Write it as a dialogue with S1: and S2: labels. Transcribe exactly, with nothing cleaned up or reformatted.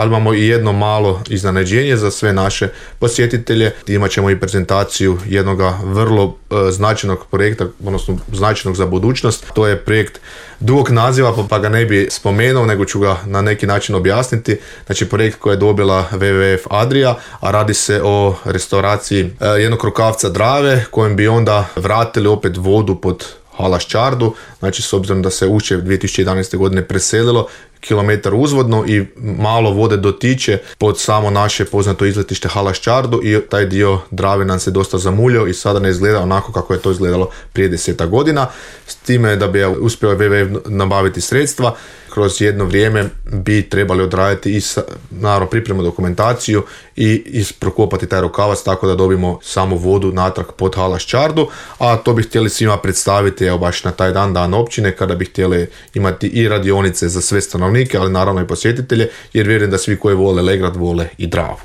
S1: ali imamo i jedno malo iznenađenje za sve naše posjetitelje. Imat ćemo i prezentaciju jednog vrlo e, značajnog projekta, odnosno značajnog za budućnost. To je projekt dugog naziva, pa ga ne bi spomenuo, nego ću ga na neki način objasniti. Znači, projekt koji je dobila W W F Adria, a radi se o restauraciji e, jednog rukavca Drave, kojem bi onda vratili opet vodu pod Halaščardu. Znači, s obzirom da se Ušće dvije tisuće jedanaeste. godine preselilo kilometar uzvodno i malo vode dotiče pod samo naše poznato izletište Halaščardu i taj dio Drave nam se dosta zamuljio i sada ne izgleda onako kako je to izgledalo prije deseta godina. S time da bi uspio W W F nabaviti sredstva, kroz jedno vrijeme bi trebali odraditi i naravno pripremu dokumentaciju i isprokopati taj rukavac tako da dobimo samo vodu natrag pod Halaščardu, a to bi htjeli svima predstaviti evo baš na taj dan, dan općine, kada bi htjeli imati i radionice za sve stanovnike, ali naravno i posjetitelje, jer vjerujem da svi koji vole Legrad vole i Dravu.